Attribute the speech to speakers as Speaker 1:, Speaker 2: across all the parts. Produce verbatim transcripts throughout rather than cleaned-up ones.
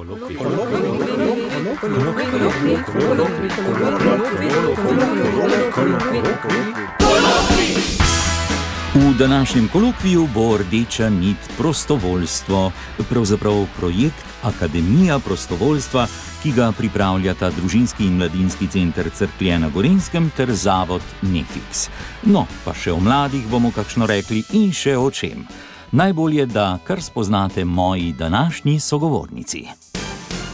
Speaker 1: V današnjem kolokviju bo rdeča nit prostovoljstvo, pravzaprav projekt Akademija prostovoljstva, ki ga pripravljata Družinski in mladinski center Cerklje na Gorenjskem ter zavod Nefix. No, pa še o mladih bomo kakšno rekli in še o čem. Najbolje, da kar spoznate moji današnji sogovornici.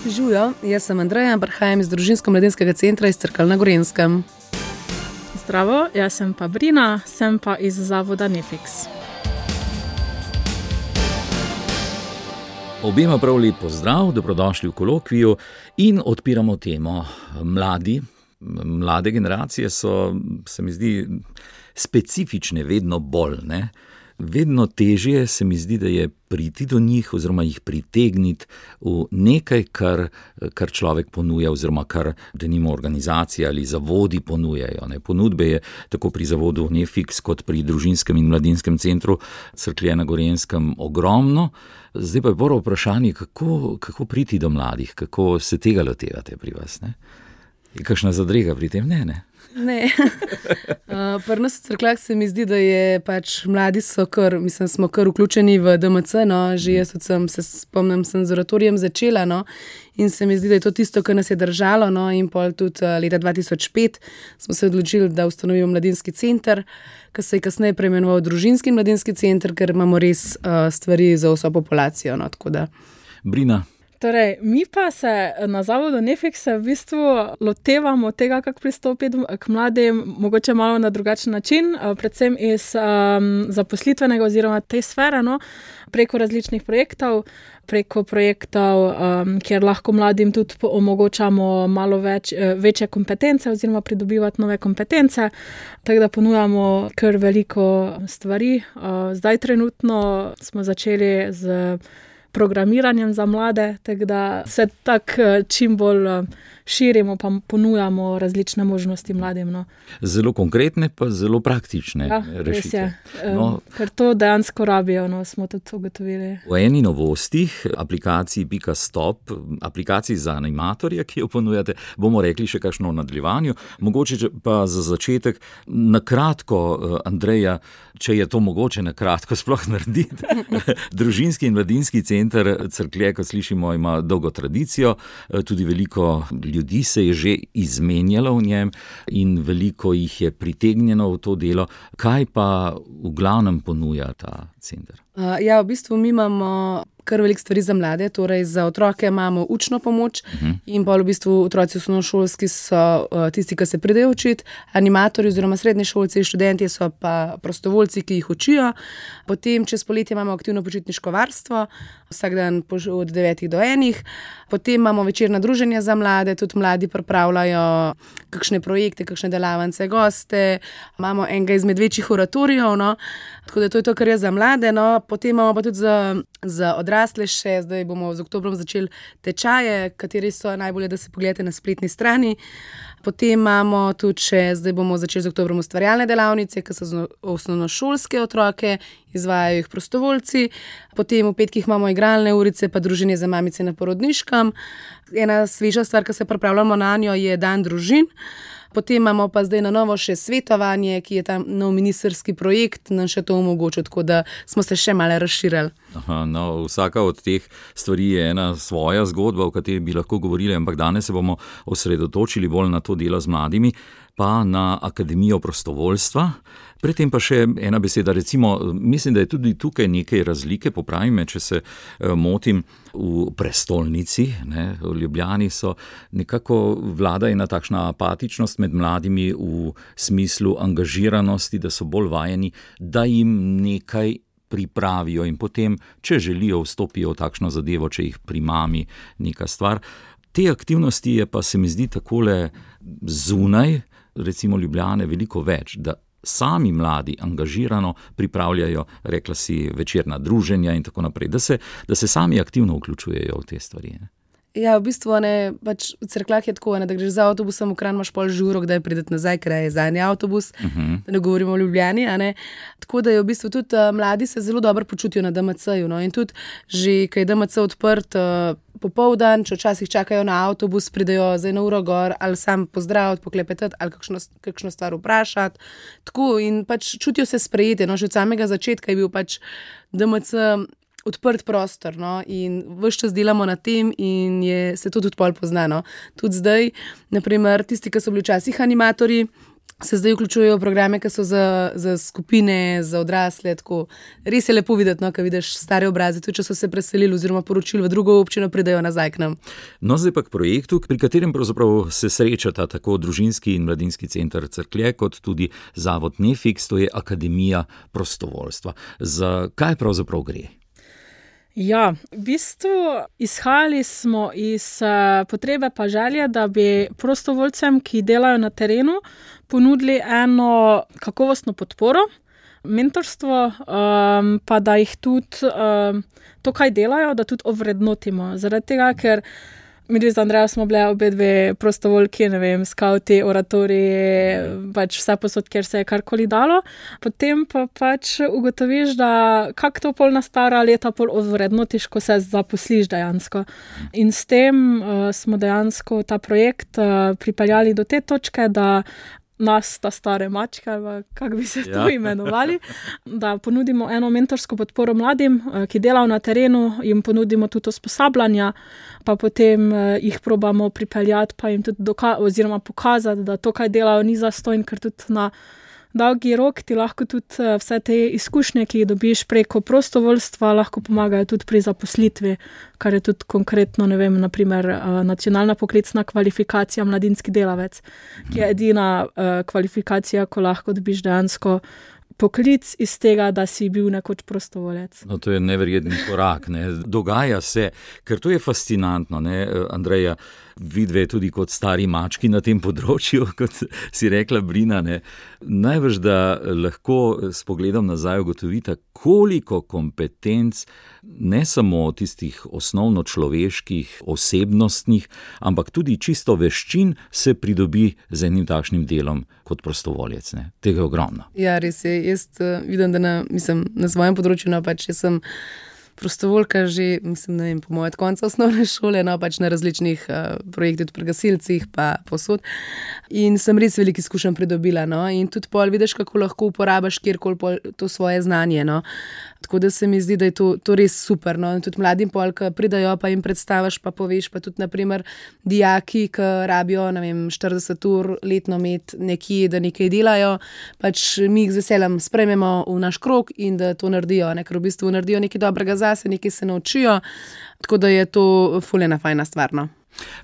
Speaker 2: Žujo, jaz sem Andreja, prihajam iz Družinsko-mladinskega centra iz Cerkelj na Gorenjskem.
Speaker 3: Zdravo, jaz sem pa Brina, sem pa iz zavoda Nefix.
Speaker 1: Obema prav lep pozdrav, dobrodošli v kolokviju in odpiramo temo. Mladi, mlade generacije so, se mi zdi, specifične, vedno bolj, ne? Vedno težje se mi zdi, da je priti do njih oziroma jih pritegniti v nekaj, kar, kar človek ponuja oziroma kar denimo organizacije ali zavodi ponujajo. Ne. Ponudbe je tako pri zavodu Nefix kot pri Družinskem in mladinskem centru Cerklje na Gorenjskem ogromno. Zdaj pa je prvo vprašanje, kako, kako priti do mladih, kako se tega lotevate pri vas. Ne? Je kakšna zadrega pri tem? Ne, ne.
Speaker 2: Ne. uh, Pri nas v Cerkljah se mi zdi, da je pač mladi so kar, mislim, smo kar vključeni v D M C, no, že jaz tudi sem, se spomnim, sem z oratorijem začela, no, in se mi zdi, da je to tisto, kar nas je držalo, no, in pol tudi uh, leta dva tisoč pet smo se odločili, da ustanovimo mladinski center, ki se je kasneje preimenoval Družinski in mladinski center, ker imamo res uh, stvari za vso populacijo, no, tako da.
Speaker 1: Brina.
Speaker 3: Torej, mi pa se na zavodu Nefix v bistvu lotevamo tega, kako pristopiti k mladim, mogoče malo na drugačen način, predvsem iz um, zaposlitvenega oziroma te sfere, no, preko različnih projektov, preko projektov, um, kjer lahko mladim tudi omogočamo malo več, večje kompetence oziroma pridobivati nove kompetence, tako da ponujamo kar veliko stvari. Uh, zdaj trenutno smo začeli z programiranjem za mlade, tako da se tako čim bolj širimo, pa ponujamo različne možnosti mladim. No.
Speaker 1: Zelo konkretne, pa zelo praktične
Speaker 3: ja,
Speaker 1: rešitve.
Speaker 3: No, ker to dejansko rabijo, no, smo tudi ugotovili.
Speaker 1: V eni novostih, aplikaciji Pika Stop, aplikaciji za animatorje, ki jo ponujate, bomo rekli še kakšno v nadaljevanju. Mogoče pa za začetek, na kratko, Andreja, če je to mogoče na kratko sploh narediti. Družinski in mladinski center Cerklje, kot slišimo, ima dolgo tradicijo, tudi veliko ljudi se je že izmenjalo v njem in veliko jih je pritegnjeno v to delo. Kaj pa v glavnem ponuja ta center?
Speaker 2: Uh, ja, v bistvu mi imamo kar veliko stvari za mlade, torej za otroke imamo učno pomoč uh-huh. in pa v bistvu otroci osnovnošolski so uh, tisti, ki se pridejo učiti, animatorji oziroma srednješolci, študentje so pa prostovoljci, ki jih učijo. Potem čez poletje imamo aktivno počitniško varstvo, vsak dan od devetih do enih. Potem imamo večerna druženja za mlade, tudi mladi pripravljajo kakšne projekte, kakšne delavnice, goste. Imamo enega izmed večjih oratorijev, no, tako da to je to, kar je za mlade, no. Potem imamo pa tudi za, za odrasle še, zdaj bomo z oktobrom začeli tečaje, kateri so najbolje, da se pogledate na spletni strani. Potem imamo tudi še, zdaj bomo začeli z oktobrom ustvarjalne delavnice, ki so za osnovnošolske otroke, izvajajo jih prostovoljci. Potem v petkih imamo igralne urice, pa druženje za mamice na porodniškem. Ena sveža stvar, ki se pripravljamo na njo, je dan družin. Potem imamo pa zdaj na novo še svetovanje, ki je tam nov ministerski projekt, nam še to omogočil, tako da smo se še malo razširili.
Speaker 1: Aha, no, vsaka od teh stvari je ena svoja zgodba, o kateri bi lahko govorili, ampak danes se bomo osredotočili bolj na to delo z mladimi, pa na Akademijo prostovoljstva. Predtem pa še ena beseda, recimo, mislim, da je tudi tukaj nekaj razlike, popravi me, če se motim, v prestolnici, ne, v Ljubljani so nekako vlada ena takšna apatičnost med mladimi v smislu angažiranosti, da so bolj vajeni, da jim nekaj pripravijo in potem, če želijo, vstopijo v takšno zadevo, če jih primami neka stvar. Te aktivnosti je pa, se mi zdi, takole zunaj, recimo Ljubljane, veliko več, da sami mladi angažirano pripravljajo, rekla si, večerna druženja in tako naprej, da se, da se sami aktivno vključujejo v te stvari. Ne?
Speaker 2: Ja, v bistvu ne, pač v Cerkljah je tako, ne, da greš za avtobusom, v Kranj imaš pol žuro, kdaj prideti nazaj, ker je zadnji avtobus, uh-huh. da ne govorimo o Ljubljani. A ne. Tako da je v bistvu tudi uh, mladi se zelo dobro počutijo na D M C-ju. No. In tudi, že ko je D M C odprt uh, popoldan, če včasih čakajo na avtobus, pridejo za eno uro gor ali sam pozdraviti, poklepetati ali kakšno, kakšno stvar vprašati. Tako in pač čutijo se sprejeti. No. Že od samega začetka je bil pač D M C odprt prostor, no, in ves čas delamo na tem in je, se to tudi pol poznano. Tudi zdaj, naprimer, tisti, ki so bili včasih animatorji, se zdaj vključujejo v programe, ki so za, za skupine, za odrasle, tako. Res je lepo videti, no, ko vidiš stare obraze, tudi če so se preselili oziroma poročili v drugo občino, pridejo nazaj k nam.
Speaker 1: No, zdaj pa k projektu, pri katerem pravzaprav se srečata tako družinski in mladinski center Cerklje, kot tudi zavod Nefix, to je Akademija prostovoljstva. Za kaj pravzaprav gre?
Speaker 3: Ja, v bistvu izhajali smo iz uh, potrebe pa želje, da bi prostovoljcem, ki delajo na terenu, ponudili eno kakovostno podporo, mentorstvo, um, pa da jih tudi um, to, kaj delajo, da tudi ovrednotimo. Zaradi tega, ker mi dve z Andrejo smo bile obe dve prostovoljki, ne vem, skauti, oratoriji, pač vse posod, kjer se je karkoli dalo. Potem pa pač ugotoviš, da kak to pol na stara leta pol odvrednotiš, ko se zaposliš dejansko. In s tem uh, smo dejansko ta projekt uh, pripeljali do te točke, da nas, ta stare mačke, ali kako bi se to ja. imenovali, da ponudimo eno mentorsko podporo mladim, ki delajo na terenu, jim ponudimo tudi usposabljanja, pa potem jih probamo pripeljati, pa jim tudi doka- oziroma pokazati, da to, kaj delajo, ni zastonj, ker tudi na dolgi rok ti lahko tudi vse te izkušnje, ki jih dobiš preko prostovoljstva, lahko pomagajo tudi pri zaposlitvi, kar je tudi konkretno, ne vem, naprimer nacionalna poklicna kvalifikacija mladinski delavec, ki je edina kvalifikacija, ko lahko dobiš dejansko poklic iz tega, da si bil nekoč prostovoljec.
Speaker 1: No, to je neverjetni korak, ne. Dogaja se, ker to je fascinantno, ne, Andreja, vidve tudi kot stari mački na tem področju, kot si rekla Brina, ne. Najbrž, da lahko s pogledom nazaj ugotovita, koliko kompetenc, ne samo tistih osnovno človeških, osebnostnih, ampak tudi čisto veščin se pridobi z enim takšnim delom kot prostovoljec, ne. Tega je ogromno.
Speaker 2: Ja, res je. Jaz uh, vidim, da na, mislim, na svojem področju, no, pač jaz sem prostovoljka že, mislim, ne vem, po moje od konca osnovne šole, no, pač na različnih uh, projektih, pri gasilcih pa posod. In sem res veliko izkušenj pridobila, no, in tudi pol vidiš, kako lahko uporabiš kjerkoli pol to svoje znanje, no. Tako da se mi zdi, da je to, to res super, no, in tudi mladim pol, ki pridajo, pa jim predstaviš, pa poveš, pa tudi, naprimer, dijaki, ki rabijo, ne vem, štirideset ur letno imeti nekje, da nekaj delajo, pač mi jih z veseljem sprejmemo v naš krog in da to naredijo, ne, ker v bistvu naredijo nekaj dobrega zase, nekaj se naučijo, tako da je to ful ena fajna stvar, no.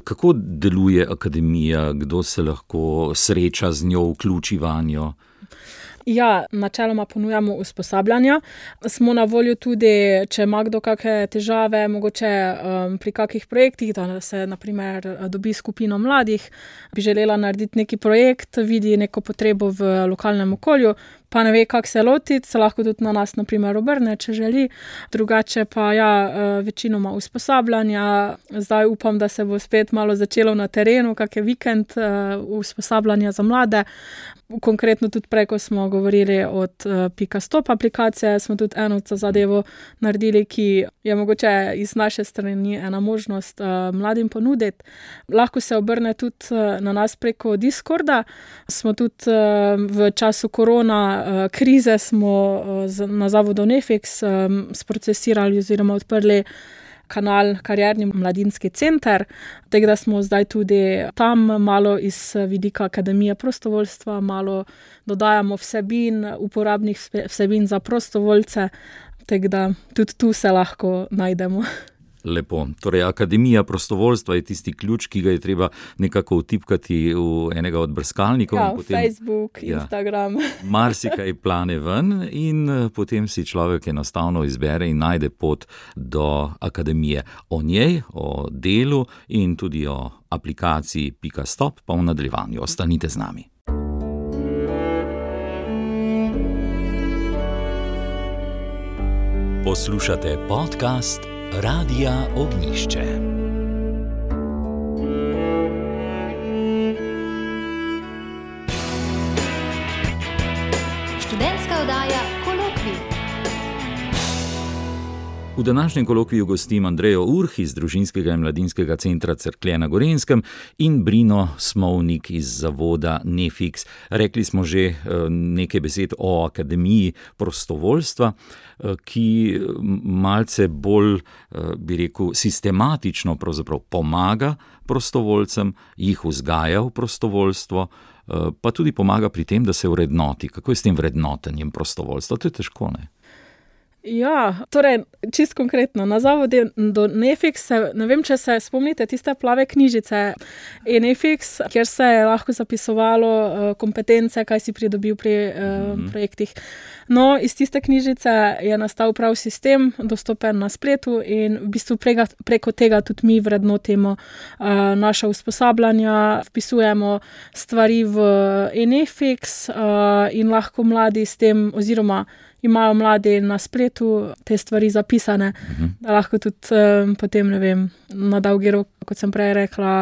Speaker 1: Kako deluje akademija, kdo se lahko sreča z njo, vključi vanjo?
Speaker 3: Ja, načeloma ponujamo usposabljanja. Smo na voljo tudi, če ima kdo kakšne težave, mogoče um, pri kakih projektih, da se naprimer dobi skupino mladih, bi želela narediti neki projekt, vidi neko potrebo v lokalnem okolju, pa ne ve, kako se lotiti, se lahko tudi na nas naprimer obrne, če želi. Drugače pa ja, večinoma usposabljanja. Zdaj upam, da se bo spet malo začelo na terenu, kak je vikend usposabljanja za mlade. Konkretno tudi preko smo govorili od Pika Stop aplikacije, smo tudi eno zadevo naredili, ki je mogoče iz naše strani ena možnost mladim ponuditi. Lahko se obrne tudi na nas preko Discorda. Smo tudi v času korona krize smo na zavodu Nefix sprocesirali oziroma odprli kanal Karierni mladinski center, tako da smo zdaj tudi tam malo iz vidika Akademije prostovoljstva, malo dodajamo vsebin, uporabnih vsebin za prostovoljce, tako da tudi tu se lahko najdemo.
Speaker 1: Lepo. Torej, Akademija prostovoljstva je tisti ključ, ki ga je treba nekako vtipkati v enega od brskalnikov.
Speaker 3: Ja,
Speaker 1: in potem,
Speaker 3: Facebook, ja, Instagram.
Speaker 1: Marsikaj plane ven in potem si človek enostavno izbere in najde pot do akademije. O njej, o delu in tudi o aplikaciji Pika Stop pa v nadaljevanju. Ostanite z nami. Poslušate podcast Radia Ognjišče. V današnjem kolokviju gostim Andrejo Urh iz Družinskega in mladinskega centra Cerklje na Gorenjskem in Brino Smovnik iz zavoda Nefiks. Rekli smo že nekaj besed o Akademiji prostovoljstva, ki malce bolj, bi rekel, sistematično pravzaprav pomaga prostovoljcem, jih vzgaja v prostovoljstvo, pa tudi pomaga pri tem, da se vrednoti. Kako je s tem vrednotenjem prostovoljstva? To je težko, ne?
Speaker 3: Ja, torej, čisto konkretno, na zavodu Nefiks, ne vem, če se spomnite tiste plave knjižice e-Nefiks, kjer se je lahko zapisovalo kompetence, kaj si pridobil pri mm-hmm. projektih. No, iz tiste knjižice je nastal prav sistem, dostopen na spletu in v bistvu prega, preko tega tudi mi vrednotimo uh, naša usposabljanja, vpisujemo stvari v e-Nefiks uh, in lahko mladi s tem, oziroma imajo mladi na spletu te stvari zapisane, uh-huh. da lahko tudi um, potem, ne vem, na dolgi rok, kot sem prej rekla,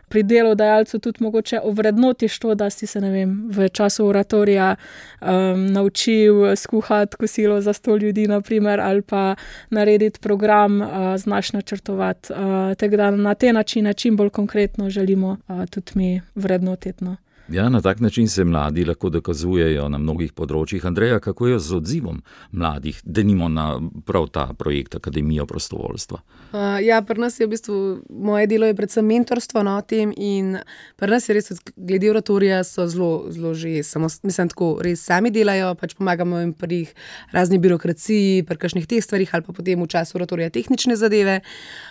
Speaker 3: pri delodajalcu tudi mogoče ovrednotiš to, da si se, ne vem, v času oratorija um, naučil skuhati kosilo za sto ljudi, na primer, ali pa narediti program, uh, znaš načrtovati. Uh, tako da na te načine čim bolj konkretno želimo uh, tudi mi vrednotiti, no.
Speaker 1: Ja, na tak način se mladi lahko dokazujejo na mnogih področjih. Andreja, kako je z odzivom mladih, denimo na prav ta projekt Akademija prostovoljstva?
Speaker 2: Uh, ja, pri nas je v bistvu, moje delo je predvsem mentorstvo na tem in pri nas je res, glede oratorija so zelo, zelo že, samo, mislim tako, res sami delajo, pač pomagamo jim pri razni birokraciji, pri kakšnih teh stvarih ali pa potem v času oratorija tehnične zadeve.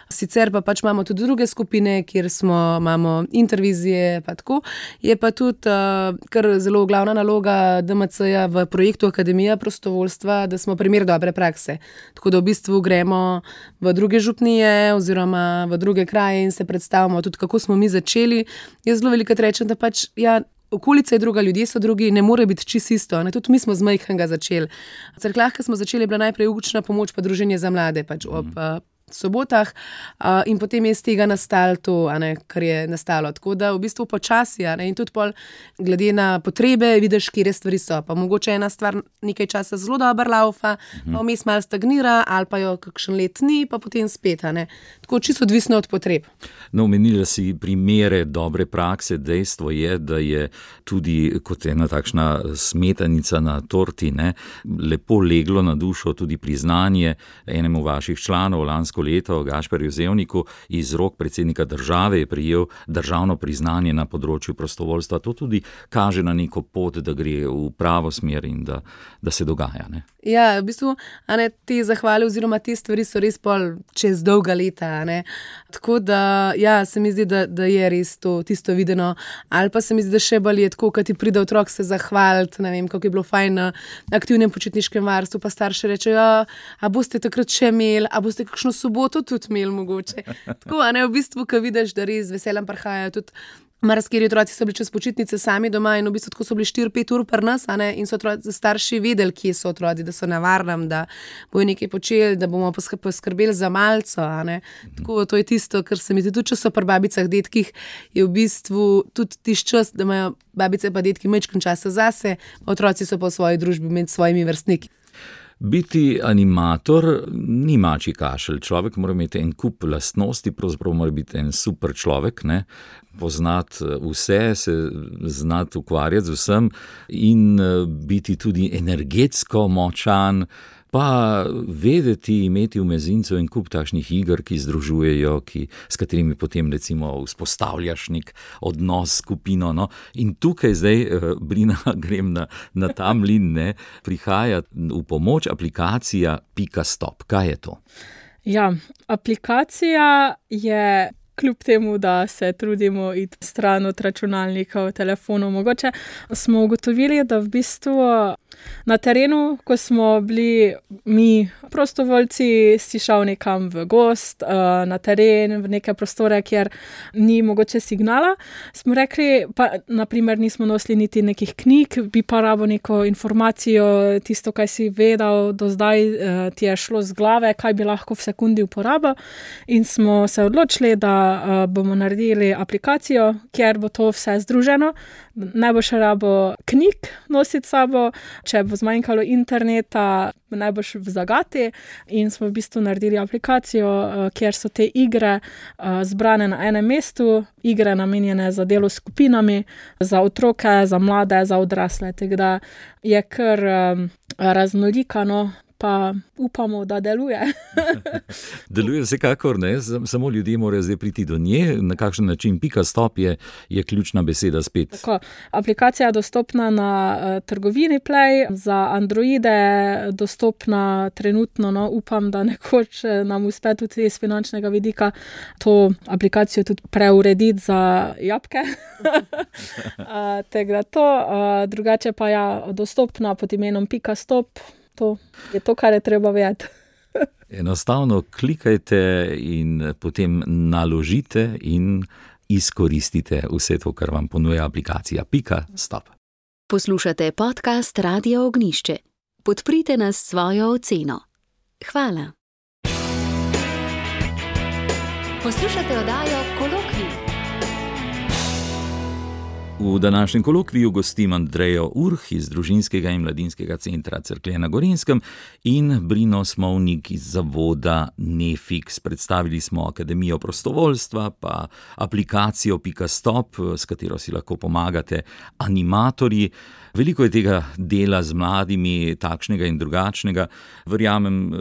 Speaker 2: Sicer pa pač imamo tudi druge skupine, kjer smo, imamo intervizije, pa tako. Je pa tudi uh, kar zelo glavna naloga D M C-ja v projektu Akademija prostovoljstva, da smo primer dobre prakse. Tako da v bistvu gremo v druge župnije oziroma v druge kraje in se predstavimo tudi, kako smo mi začeli. Jaz zelo velikokrat rečem, da pač, ja, okolica je druga, ljudje so drugi, ne more biti čisto isto. Ne? Tudi mi smo z majhnega začeli. V Cerkljah, ko smo začeli, je bila najprej učna pomoč pa druženje za mlade, pač ob uh, sobotah uh, in potem je iz tega nastalo to, a ne, kar je nastalo. Tako da v bistvu počasi, a ne, in tudi pol glede na potrebe vidiš, kje stvari so. Pa mogoče ena stvar nekaj časa zelo dobro laufa, uh-huh. pa vmes malo stagnira ali pa jo kakšen let ni, pa potem spet, a ne. Tako čisto odvisno od potreb.
Speaker 1: No, omenila si primere dobre prakse. Dejstvo je, da je tudi kot ena takšna smetanica na torti, ne, lepo leglo na dušo tudi priznanje enemu vaših članov lansko leto, Gašperju Zevniku, iz rok predsednika države je prejel državno priznanje na področju prostovoljstva. To tudi kaže na neko pot, da gre v pravo smer in da, da se dogaja, ne?
Speaker 2: Ja, v bistvu, a ne, te zahvale oziroma te stvari so res pol čez dolga leta, a ne. Tako da, ja, se mi zdi, da, da je res to tisto videno. Ali pa se mi zdi, da še bolj je tako, kad ti pride otrok se zahvaliti, ne vem, kako je bilo fajn na aktivnem počitniškem varstvu, pa starši rečejo, ja, a boste takrat še imeli, a boste kakšno soboto tudi imeli mogoče. Tako, a ne, v bistvu, ko vidiš, da res z veseljem prihajajo tudi marsikateri otroci so bili čez počitnice sami doma in v bistvu tako so bili štiri pet ur pri nas, a ne, in so otroci, starši vedeli, kje so otroci, da so na varnem, da bojo nekaj počeli, da bomo poskrbeli za malco, a ne. Tako, to je tisto, kar se mi zdi, tudi če so pri babicah, detkih, je v bistvu tudi tisti čas, da imajo babice pa detki majčken časa zase, otroci so pa v svoji družbi med svojimi vrstniki.
Speaker 1: Biti animator ni mačji kašelj. Človek mora imeti en kup lastnosti, pravzaprav mora biti en super človek, ne? Poznati vse, se znati ukvarjati z vsem in biti tudi energetsko močan, pa vedeti, imeti v mezincu en kup takšnih iger, ki združujejo, ki, s katerimi potem recimo vzpostavljaš nek odnos s skupino. No? In tukaj zdaj, Brina, grem na, na ta mlin, ne, prihaja v pomoč aplikacija Pika Stop. Kaj je to?
Speaker 3: Ja, aplikacija je kljub temu, da se trudimo iti stran od računalnikov, telefonov. Mogoče smo ugotovili, da v bistvu na terenu, ko smo bili mi prostovoljci, si šel nekam v gost, na teren, v neke prostore, kjer ni mogoče signala, smo rekli, pa naprimer nismo nosili niti nekih knjig, bi pa rabo neko informacijo, tisto, kaj si vedel do zdaj, ti je šlo z glave, kaj bi lahko v sekundi uporabil, in smo se odločili, da uh, bomo naredili aplikacijo, kjer bo to vse združeno. Ne bo še rabo knjig nositi sabo, če bo zmanjkalo interneta, ne boš v zagati, in smo v bistvu naredili aplikacijo, uh, kjer so te igre uh, zbrane na enem mestu, igre namenjene za delo s skupinami, za otroke, za mlade, za odrasle. Tako da je kar um, raznolikano, pa upamo, da deluje.
Speaker 1: Deluje vsekakor, ne? Samo ljudje morajo zdaj priti do nje. Na kakšen način? Pika stop je, je ključna beseda spet.
Speaker 3: Tako, aplikacija je dostopna na uh, trgovini Play, za Androide dostopna trenutno, no, upam, da nekoč nam uspe tudi iz finančnega vidika to aplikacijo tudi preurediti za jabke. uh, Tako da to, uh, drugače pa ja, dostopna pod imenom Pika stop. To je to, kar je treba vedeti.
Speaker 1: Enostavno klikajte in potem naložite in izkoristite vse to, kar vam ponuja aplikacija Pika stop.
Speaker 4: Poslušate podcast Radia Ognjišče. Podprite nas s svojo oceno. Hvala. Poslušate oddajo Kolokvij.
Speaker 1: V današnjem kolokviju gostim Andrejo Urh iz Družinskega in mladinskega centra Cerklje na Gorenjskem in Brino Smovnik iz zavoda Nefix. Predstavili smo Akademijo prostovoljstva, pa aplikacijo Pika stop, s katero si lahko pomagate animatorji. Veliko je tega dela z mladimi, takšnega in drugačnega. Verjamem,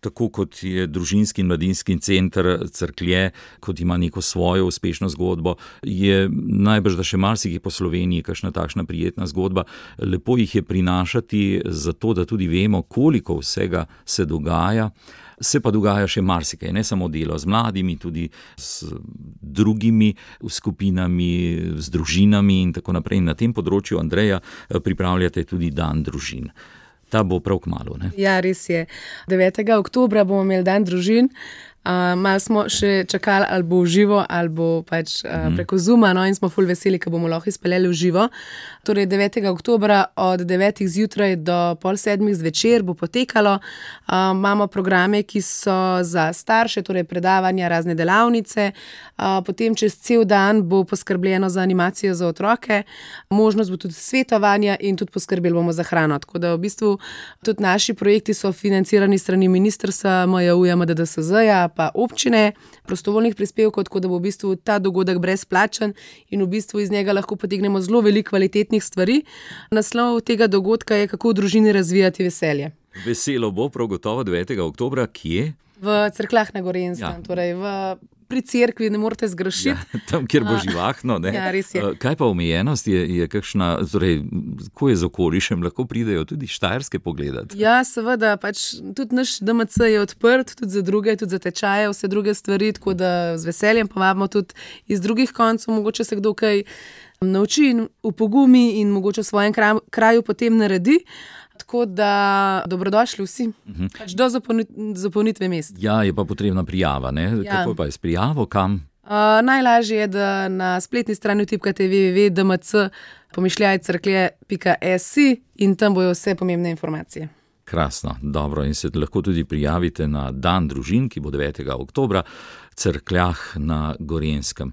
Speaker 1: tako kot je Družinski in mladinski center Cerklje, kot ima neko svojo uspešno zgodbo, je najbrž, da še marsikaj po Sloveniji kakšna takšna prijetna zgodba. Lepo jih je prinašati, zato da tudi vemo, koliko vsega se dogaja. Se pa dogaja še marsikaj, ne samo delo z mladimi, tudi s drugimi skupinami, z družinami in tako naprej. In na tem področju, Andreja, pripravljate tudi dan družin. Ta bo prav kmalu, ne?
Speaker 2: Ja, res je. devetega oktobra bomo imeli dan družin. Uh, malo smo še čakali, ali bo v živo, ali bo pač uh, preko Zooma, no, in smo ful veseli, ko bomo lahko izpeljali v živo. Torej devetega oktobra od devetih zjutraj do pol sedmih zvečer bo potekalo. Uh, imamo programe, ki so za starše, torej predavanja, razne delavnice. Uh, potem čez cel dan bo poskrbljeno za animacijo za otroke. Možnost bo tudi svetovanja in tudi poskrbeli bomo za hrano. Tako da v bistvu tudi naši projekti so financirani strani ministrstva M J U-ja, M D D S Z-ja, pa občine, prostovoljnih prispevkov, tako da bo v bistvu ta dogodek brezplačen in v bistvu iz njega lahko potegnemo zelo veliko kvalitetnih stvari. Naslov tega dogodka je, kako v družini razvijati veselje.
Speaker 1: Veselo bo prav gotovo devetega oktobra, kje?
Speaker 2: V Cerkljah na Gorenjskem, ja. Torej v pri cerkvi, ne morete zgrešiti.
Speaker 1: Ja, tam, kjer bo živahno, ne?
Speaker 2: Ja, res je.
Speaker 1: Kaj pa omejenost je, je kakšna, torej, ko je z okolišem, lahko pridejo tudi Štajerske pogledati?
Speaker 2: Ja, seveda, pač tudi naš D M C je odprt, tudi za druge, tudi za tečaje, vse druge stvari, tako da z veseljem povabimo tudi iz drugih koncev, mogoče se kdo kaj nauči in upogumi in mogoče v svojem kraju, kraju potem naredi. Tako da dobrodošli vsi, uh-huh. pač do zapolnitve mest.
Speaker 1: Ja, je pa potrebna prijava, ne? Ja. Kako pa je s prijavo, kam?
Speaker 2: Uh, najlažje je, da na spletni strani vtipkate w w w pika d m c pomišljaj cerklje pika s i in tam bojo vse pomembne informacije.
Speaker 1: Krasno, dobro, in se lahko tudi prijavite na dan družin, ki bo devetega oktobra v Cerkljah na Gorenjskem.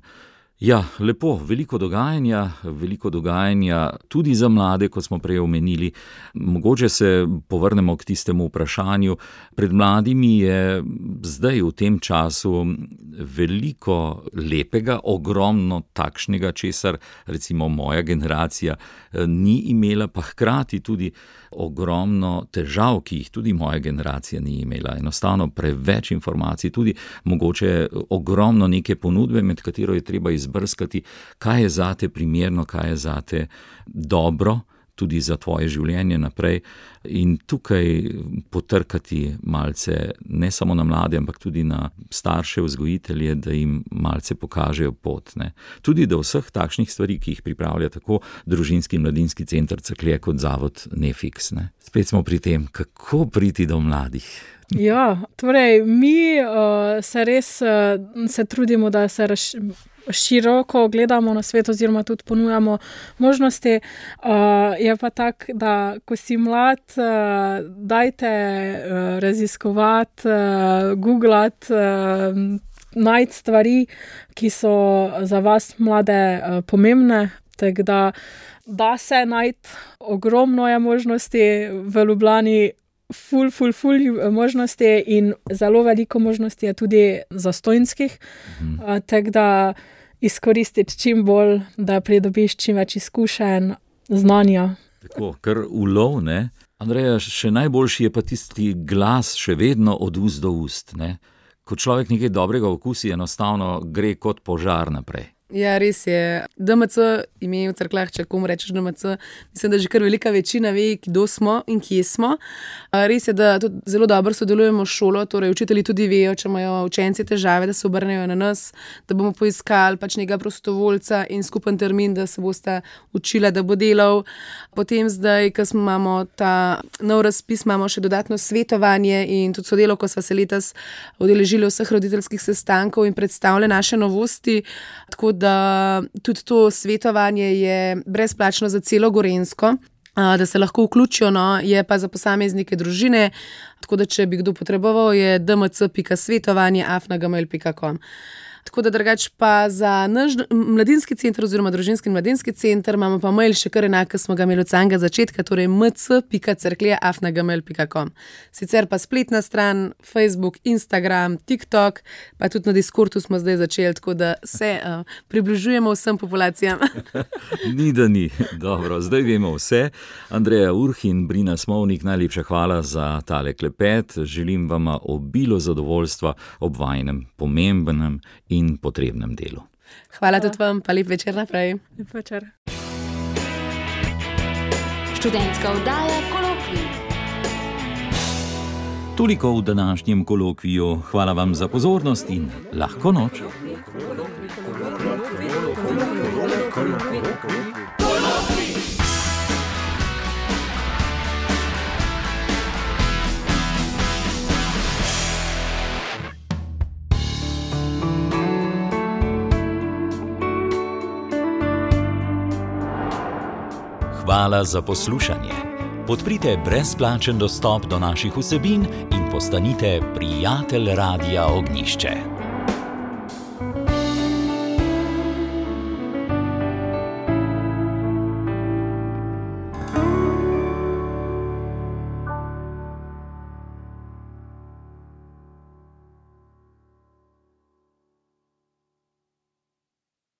Speaker 1: Ja, lepo, veliko dogajanja, veliko dogajanja tudi za mlade, kot smo prej omenili. Mogoče se povrnemo k tistemu vprašanju. Pred mladimi je zdaj v tem času veliko lepega, ogromno takšnega, česar recimo moja generacija ni imela, pa hkrati tudi ogromno težav, ki jih tudi moja generacija ni imela. Enostavno preveč informacij, tudi mogoče ogromno neke ponudbe, med katero je treba izbrskati, kaj je zate primerno, kaj je zate dobro, tudi za tvoje življenje naprej, in tukaj potrkati malce ne samo na mlade, ampak tudi na starše vzgojitelje, da jim malce pokažejo pot. Ne. Tudi do vseh takšnih stvari, ki jih pripravlja tako Družinski in mladinski center Cerklje kot zavod Nefix. Ne. Spet smo pri tem, kako priti do mladih.
Speaker 3: Ja, torej mi uh, se res uh, se trudimo, da se raš, široko gledamo na svet oziroma tudi ponujamo možnosti. Uh, je pa tak, da ko si mlad, uh, dajte uh, raziskovati, uh, googlati, uh, najti stvari, ki so za vas mlade uh, pomembne, tako da da se najti ogromno je možnosti v Ljubljani, ful, ful, ful možnosti in zelo veliko možnosti je tudi zastojnskih, mhm. uh, tako da izkoristiti čim bolj, da pridobiš čim več izkušenj, znanja.
Speaker 1: Tako, kar ulov, ne? Andreja, še najboljši je pa tisti glas še vedno od ust do ust, ne? Ko človek nekaj dobrega okusi, enostavno gre kot požar naprej.
Speaker 2: Ja, res je. D M C, ime v Cerkljah, če komu rečeš D M C, mislim, da že kar velika večina ve, kdo smo in kje smo. Res je, da tudi zelo dobro sodelujemo s šolo, torej učitelji tudi vejo, če imajo učenci težave, da se obrnejo na nas, da bomo poiskali pač nekega prostovoljca in skupen termin, da se boste učila, da bo delal. Potem zdaj, ko imamo ta nov razpis, imamo še dodatno svetovanje in tudi sodelavko sva se letos udeležili vseh roditeljskih sestankov in predstavlja naše novosti, tako da tudi to svetovanje je brezplačno za celo Gorenjsko, da se lahko vključijo, no, je pa za posameznike družine, tako da če bi kdo potreboval, je d m c pika svetovanje afna gmail pika com. Tako da drugač pa za naš mladinski center oziroma družinski in mladinski center imamo pa mail še kar enak, ki smo ga imeli od samega začetka, torej m c pika cerklje afna gmail pika com. Sicer pa spletna stran, Facebook, Instagram, TikTok, pa tudi na Discordu smo zdaj začeli, tako da se uh, približujemo vsem populacijam.
Speaker 1: Ni da ni. Dobro, zdaj vemo vse. Andreja Urh in Brina Smovnik, najlepša hvala za tale klepet. Želim vam obilo zadovoljstva ob vajinem pomembnem in potrebnem delu.
Speaker 2: Hvala tudi vam, pa lep večer naprej.
Speaker 3: Lep večer.
Speaker 4: Študentska oddaja Kolokvij.
Speaker 1: Toliko v današnjem kolokviju. Hvala vam za pozornost in lahko noč. Hvala za poslušanje. Podprite brezplačen dostop do naših vsebin in postanite prijatelj Radia Ognišče.